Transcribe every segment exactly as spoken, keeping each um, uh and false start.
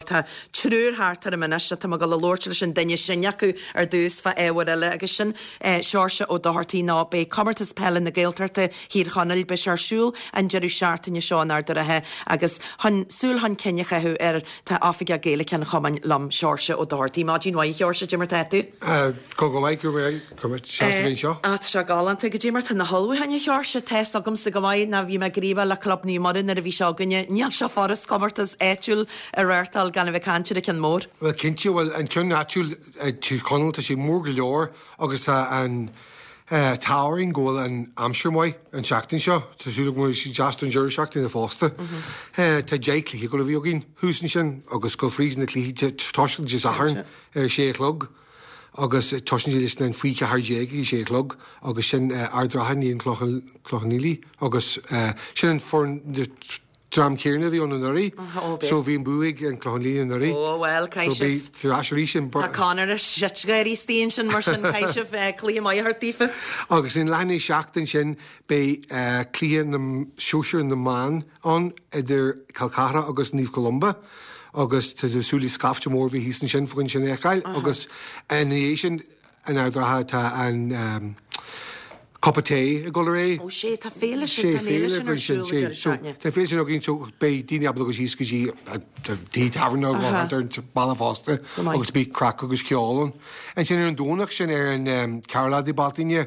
Tá triúr thart orm anois tá mé ag dul a labhairt leis an duine sin acu ar dtús fá ábhar eile agus sin eh, Seoirse Ó Dochartaigh ná beidh comórtas peile na Gaeltachta Thír Chonaill beidh sé ar siúl an deireadh seachtaine seo in Ard an Rátha agus chun súil chun cinn a chaitheamh air tá Oifigeach Gaeilge an chumainn liom Seoirse Ó Dochartaigh. Maidin mhaith Sheoirse cad é mar tá tú? Go go maith go bhfuil seo. Á sé galánta cad é mar tá na hullmhúcháin a Sheoirse tá a fhios agamsa go maith ná bhí mé gníomhach le Club Naomh Muire nuair a bhí seo againne níl sé furast comórtas áitiúil a reáchtáil gan a bheith caint ar an cheann mór. Well cinnte bhfuil an ceann áitiúil Tír Chonaill tá sé mór go leor agus tá an táing go bhfuil an aimsir maith an seachtain seo Tá súil go sí deas an deireadh seachtaine fosta. Tá deich cluiche go bhí againn thuas ansin agus go fríd na cluichí tosaíonn Dé Sathairn ar sé a chlog. agus tosaíonn leis an faoi ceathair déag ag sé a chlog agus sin Ard an Rátha in éadan Clochán Liath agus sin an foireann dream céanna a bhí ann anuraidh so bhí an bua ag an Clochán Liath anuraidh. Ó well tar arís an Tá Conor sitgéirí stíon sin mar sin caiisih cluiche maith daofa. Agus in leath i ndiaidh a seacht ansin beidh cluiche na sóisear na mban ann idir Col Ceathra agus Naomh Columba. agus tá súil le scaifte mór bhí thíos ansin fá choinne sin a fheiceáil agus ina dhiaidh sin in Ard an Rátha tá an um, Cupa Tae ag dul ar aghaidh. Ó sé tá féile sin tá féile sin ar siúl an deireadh seachtaine. Tá féile sin againn so beidh daoine ábalta síos go dtí tí tábhairne ar an baile fosta agus bhí craic agus ceol ann. Ansin ar an Domhnach sin ar an um, ceathrú lá de Bealtaine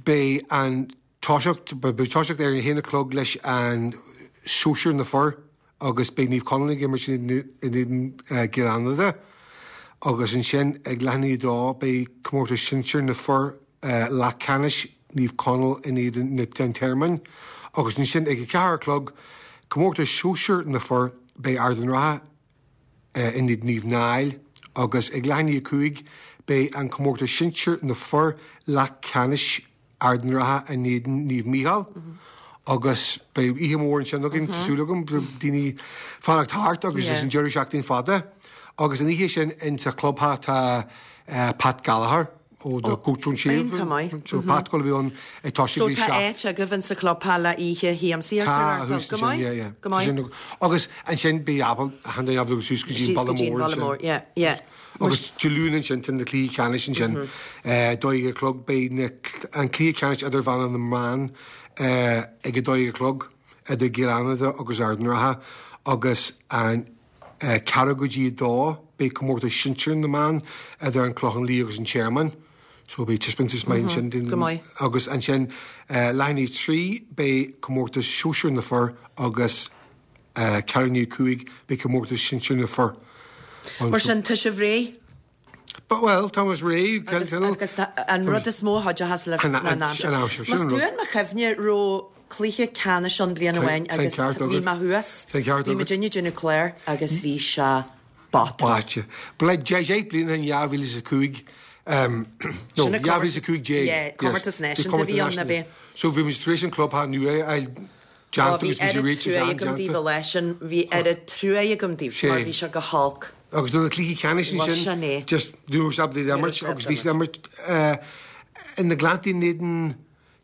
beidh an toiseacht beidh toiseacht ar an haon a chlog leis an sóisear na fir agus beidh Naomh Conaill ag imirt in éadan Cill Fhánada agus ansin ag leath i ndiaidh a dó beidh comórtas sinsir na fir leath ceannais Naomh Conaill in éadan na den Tearmann agus ansin ag a ceathair a chlog comórtas sóisear na fir beidh Ard an Rátha in éadan Naomh Niall agus ag leath i ndiaidh a cúig beidh an comórtas sinsir na fir leath ceannais Ard an Rátha in éadan Naomh Mícheál. Mm -hmm. agus beidh oíche mór ansin againn súil agam daoine fanacht thart agus is an deireadh seachtaine fada. Agus an oíche sin in sa clubtheach tá uh, Pat Gallagher ó the Goat Shave. So Pat go bhí an ag tá So tá áit agaibh in sa clubtheach le oíche shiamsaíochta Tá go maith agus ansin bí ábalta ábalta suas go dtí Baile Mór yeah, yeah. Agus Dé Luain ansin tá na cluichí ceannais ansin dó dhéag a chlog beidh an cluiche ceannais idirmheánach na mban ag a dó dhéag a chlog idir Cill Fhánada agus Ard an Rátha agus an ceathrú go dtí dó beidh comórtas sinsir na mban idir an Clochán Liath agus an Tearmann. So beidh taispeántas maith ansin agus ansin leath i ndiaidh trí beidh comórtas sóisear na fir agus ceathrú i ndiaidh a cúig beidh comórtas sinsir na fir. Mar sin tá sibh réidh? But well, Thomas réidh agus an rud is mó chuideochas le an aimsir. Más buan mo chuimhne raibh cluiche ceannais an bliain amháin agus bhí mé thuas bhí mé duine déanamh cléir agus bhí sé báite. Báite. Ble deich bliana in dhá mhíle is a cúig no dhá mhíle is a cúig déag. Comórtas náisiúnta bhí ann ab é. So bhí muid tar éis an clubtheach nua a déanta agus bhí sé réitithe agam daoibh a leis sin bhí oiread trua agam daoibh mar bhí sé go holc. Agus do na cluichí ceannais sin just dúir ábalta imirt agus bhí siad imirt in na Gleanntaí in éadan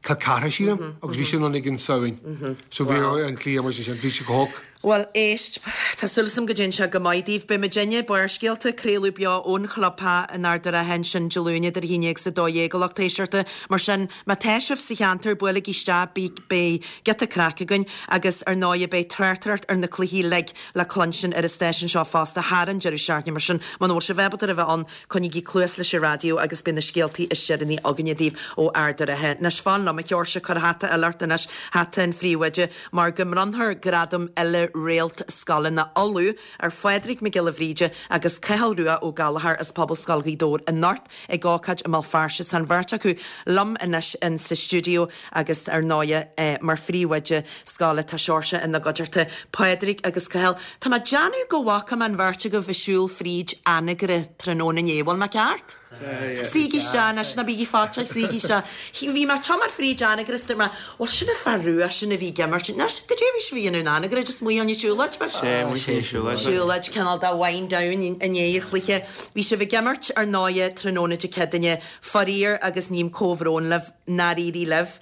Col Ceathra sílim agus bhí sin an ag an Samhain. So bhí an cluiche mar sin bhí sé go holc. Well éist Tá súil agam go dtéann sé go maith daoibh beidh muidinne Barrscéalta craoladh beo ón chlubtheach in Ard an Rátha ansin Dé Luain idir a haon déag is a dó dhéag a lucht éisteachta mar sin má tá sibh sa cheantar buailigí isteach beidh giota craic againn agus ar ndóigh beidh tráchtaireacht ar na cluichí uilig le cluinstin ar an stáisiún seo fosta thar an deireadh seachtaine mar sin muna bhfuil sibh ábalta a bheith ann coinnígí cluas leis an raidió agus beidh na scéaltaí is deireanaí againne daoibh ó Ard an Rátha. Anois fan liom a Sheoirse cuir hata eile ort anois hata an phríomhoide mar go mbronnfar gradam uile réalt scoileanna Uladh ar Phádraig Mac Giolla Bhríde agus Cathal Rua Ó Gallchóir as Pobalscoil Ghaoth Dobhair anocht ag ócáid i mBéal Feirste tá an bheirt acu liom anois in sa stiúideo agus ar ndóigh eh, mar phríomhoide scoile tá Seoirse ina gcuideachta Pádraig agus Cathal. Tá mé ag déanamh go bhfaca mé an bheirt agaibh ag siúl fríd Anagaire tráthnóna inné bhfuil mé ceart? Suígí isteach anois ná bígí faitíoch suígí isteach. Bhí mé tiomáint fríd Anagaire is dúirt mé bhuel sin an fear rua sin a bhí ag imirt. Anois cad é bhí sibh a dhéanamh in Anagaire just amuigh an siúlóid Sé sé siúlóid. Siúlóid cineál de wind down i ndiaidh an chluiche. Bhí sibh ag imirt ar ndóigh tráthnóna Dé Céadaoine faraor agus ním comhbhrón libh nár éirigh libh.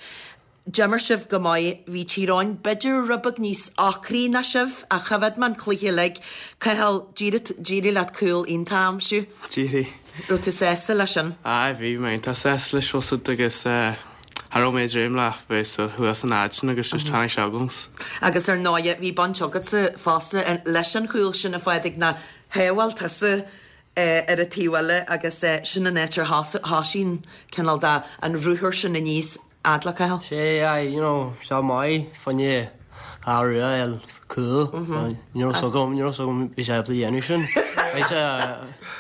D'imir sibh go maith, bhí Tír Eoghain b'fhéidir rud beag níos ocraí ná sibh, ach choimhéad mé an cluiche uilig. Cathal, d'éirigh leat cúl iontach a aimsiú. D'éirigh. Raibh tú sásta leis sin? Aye, bhí mé iontach sásta leis bhfuil 's agat agus cha raibh mé ag dréim le bheith sa thuas an áit sin agus just tháinig sé agam. Agus ar ndóigh, bhí baint agatsa fosta leis an chúl sin a Phádraig, nó shábháil tusa ar an taobh eile agus sin an áit ar thosaigh an cineál de an ruathar sin aníos fhad le Cathal. Sé, aye, you know, sé maith fá choinne Cathal Rua a fháil cúl. Ní raibh 's agam, ní raibh 's agam bhí sé ábalta dhéanamh sin. Bhí sé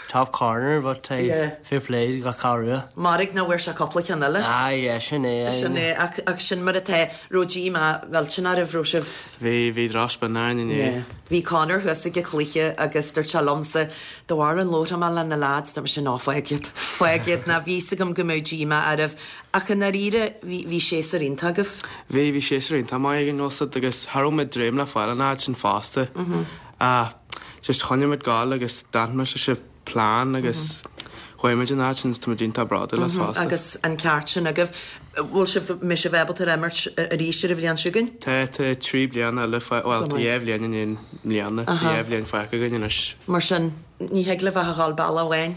top corner but hey, fair play do Cathal Rua. Mairg nach bhfuair sé cúpla ceann eile. Aye, yeah, sin é. Sin é, ach, ach sin mar atá. Raibh díomá millteanach oraibh, raibh sibh? Bhí, bhí drochspin orainn inné. Yeah. Bhí Conor thuas ag an chluiche agus dúirt sé liomsa, de bharr an labharfaidh mé le na lads, dúirt mise ná fág iad, fág iad, ná bhí 'fhios agam go mbeadh díomá oraibh. Ach i ndáiríre, bhí, bhí séasúr iontach agaibh. Bhí, bhí séasúr iontach maith againn, bhfuil 's agat, agus cha raibh muid ag dréim le fáil an fhad sin fosta. Ach just choinnigh muid ag gabháil agus d'fhan muid leis an plean agus chuaigh muid an fhad sin is tá muid iontach bródúil as fosta. Agus an ceart sin agaibh. Bhfuil sibh, mbeidh sibh ábalta ar imirt arís ar an bhliain seo chugainn? Tá, tá trí bliana eile, bhuel tá dhá bhliain i ndiaidh mbliana, tá dhá bhliain fágtha againn anois. Mar sin, ní thig libh ach a dhul bealach amháin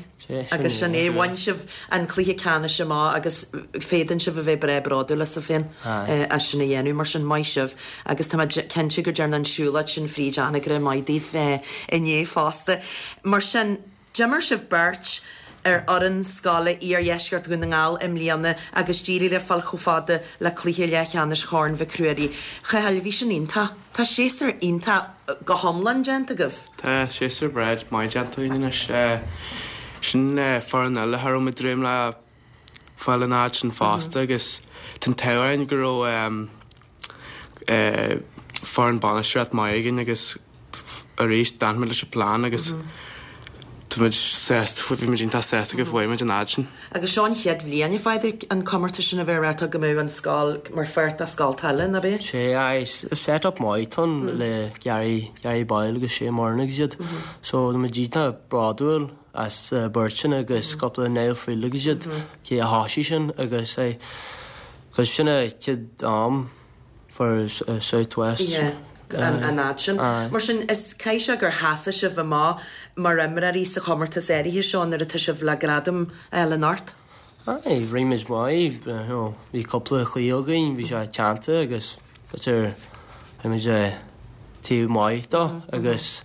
agus sin é. Bhain sibh an cluiche ceannais amach agus féadann sibh a bheith breá bródúil asaibh féin as sin a dhéanamh. Mar sin, maith sibh agus tá mé cinnte go dtearna an siúlóid sin fríd Anagaire maith daoibh inné fosta. Mar sin, d'imir sibh beirt ar fhoireann scoile Iardheisceart Dhún na nGall i mbliana agus d'éirigh libh fáil chomh fada le cluiche leathcheannais Chorn Mhic Ruairí. A Chathail, bhí sin iontach. Tá séasúr iontach go hiomlán déanta agaibh. Tá séasúr breá maith déanta againn anois. Sin foireann eile cha raibh muid ag dréim le fáil an fhad sin fosta agus tá an t-ádh orainn go raibh foireann bainistíocht maith againn agus arís d'fhan muid leis an plean agus tá muid sásta, bhí muid iontach sásta go bhfuair muid an fhad sin. Agus seo an chéad bhliain, a Phádraig, an comórtas sin a bheith reáchtáil go mbeadh an scoil mar pháirt de scoil eile, ná b'é? Sé, aye, set up maith atá ann le Gary, Gary Boyle agus Shane Moran agus iad. So tá muid iontach bródúil as beirt sin agus cúpla Niall Friel agus iad cé a thosaigh sin agus aye, agus sin a chéad am for South West. Yeah. an fhad sin. Mar sin, is caithfidh sé gur sheasaigh sibh amach mar imreoirí sa chomórtas áirithe seo nuair atá sibh le gradam a fháil anocht. Aye, rinne muid maith, you know, bhí cúpla cluiche againn, bhí sé teannta agus b'fhéidir bhí muid taobh maith dó agus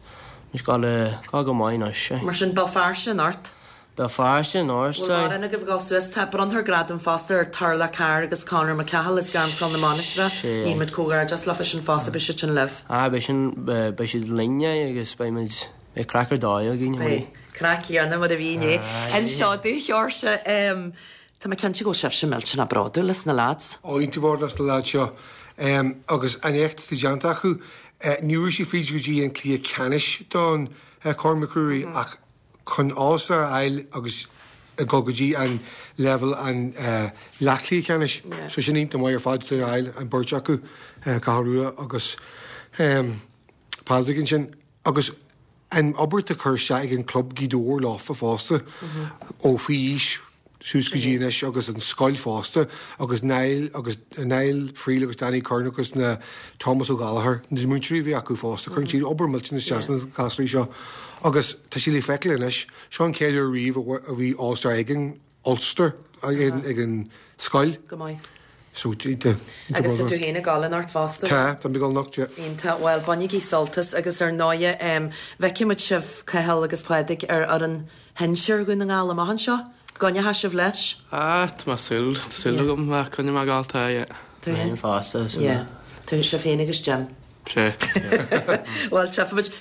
muid ag gabháil go maith anois. Mar sin, Béal Feirste anocht. Béal Feirste anocht, Bhfuil mórán agaibh ag dul suas? Tá bronnfar gradam fosta ar Turlough Carr agus Conor McCahill as Gairmscoil na Mainistreach. Sea. Guímid comhghairdeas leofa sin fosta, beidh siad sin libh. Ah, beidh sin, beidh siad linn agus beidh muid, beidh craic ar dóigh againn. Beidh. Craic céanna mar a bhí inné. Anseo do Sheoirse, tá mé cinnte go bhfuil sibhse millteanach bródúil as na lads. Ó, iontach bródúil as na lads seo. Agus an éacht atá déanta acu, ní raibh siad fríd go dtí an cluiche ceannais don Corn Mac Ruairí ach chun All-Star a fháil agus ag dul go dtí an leibhéal an leathchluiche ceannais. So sin iontach maith ar fad a fháil an beirt acu, Cathal Rua agus Pádraig ansin. Agus an obair atá curtha isteach ag an club Gaoth Dobhair leofa fosta ó faoi aois suas go dtí anois agus an scoil fosta agus Niall agus Niall Friel agus Danny Curran agus na Thomas Ó Gallchóir, na múinteoirí a bhí acu fosta, cuireann siad obair millteanach isteach sna gasúirí seo agus tá sé le feiceáil anois, seo an chéad uair riamh a bhí All Star ag an Ulster ag an scoil. Go maith. So, iontach. Agus tá tú féin ag dul anocht fosta? Tá, tá mé ag dul anocht, yeah. Iontach, bhuel, bainigí sult as agus ar ndóighe, feicfidh muid sibh, Cathal agus Pádraig, ar fhoireann shinsir Dhún na nGall amach anseo. Coinneoidh sibh leis? Ah, tá mé súil, tá súil agam, coinneoidh mé ag gabháil, tá, yeah. Tú féin? Fosta, yeah. Tá sibh féin agus Jim. Sé. Bhuel, tchífimid.